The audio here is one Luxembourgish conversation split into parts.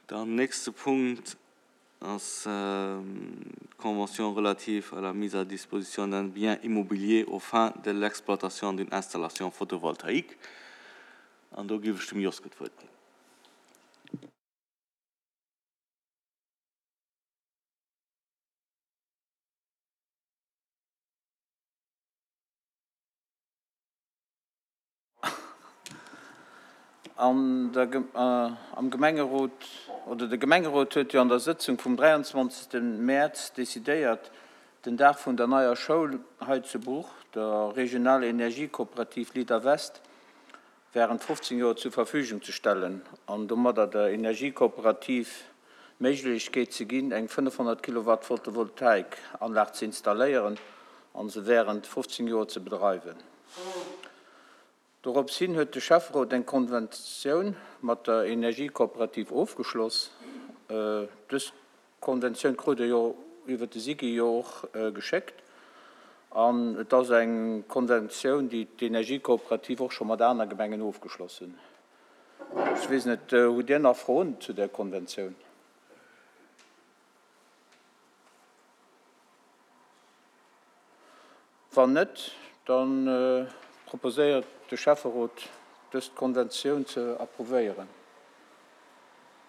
Dann nächste Punkt ass d'Convention relative à la mise à disposition d'un bien immobilier aux fins de l'exploitation d'une installation photovoltaïque. An do géif ech dem Joske d'Wuert ginn. An der, am Gemengerot, oder de Gemengerot huet jo an der Sëtzung vum 23. Mäerz decidéiert, den Daach vun der neier Schoul hei zu Bruch, der Regional Energiekooperativ Leader West, während 15 Joer zur Verfügung ze stellen an domadder der Energiekooperativ d'Méiglechkeet ze ginn, eng 500 Kilowatt Photovoltaikanlag ze installéieren an se während 15 Joer ze bedreiwen. Dorops hin huet de Schäfferot eng Konventioun mat der Energiekooperativ ofgeschloss. Dës Konventioun krut Der jo iwwer de SIGI jo och geschéckt. An et ass eng Konventioun, déi d'Energiekooperativ och scho mat aner Gemengen ofgeschloss hunn. Ech weess net, hutt Dir nach Froen zu där Konventioun? Wann net, da proposéiert de Schäfferot, dës Konventioun ze approuvéieren.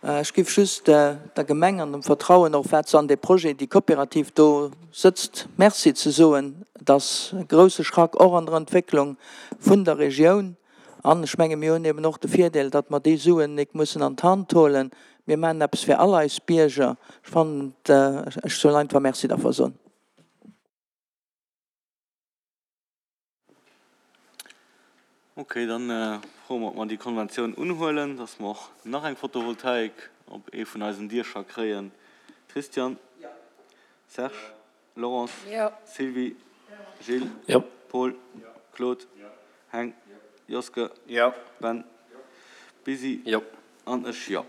Ech géif just der Gemeng an dem Vertrauen och, wat se an dee Projet, déi Kooperativ do sëtzt, Merci ze soen. Et ass e grouse Schrack och an der Entwécklung vun der Regioun. An ech menge mir hunn eben och de Virdeel, datt mer déi Suen nik mussen an d'Hand holen. Mir maachen eppes fir all eis Bierger. Ech fannen, ech soll einfach Merci derfir soen. Ok, dann froe mer, ob mer déi Konventioun unhuelen, dass mer och nach eng Photovoltaik op ee vun eisen Diecher kréien. Christian? Serge? Laurence? Sylvie? Gilles? Paul? Claude? Heng? Joske? Ben? Busy? An ech, jo.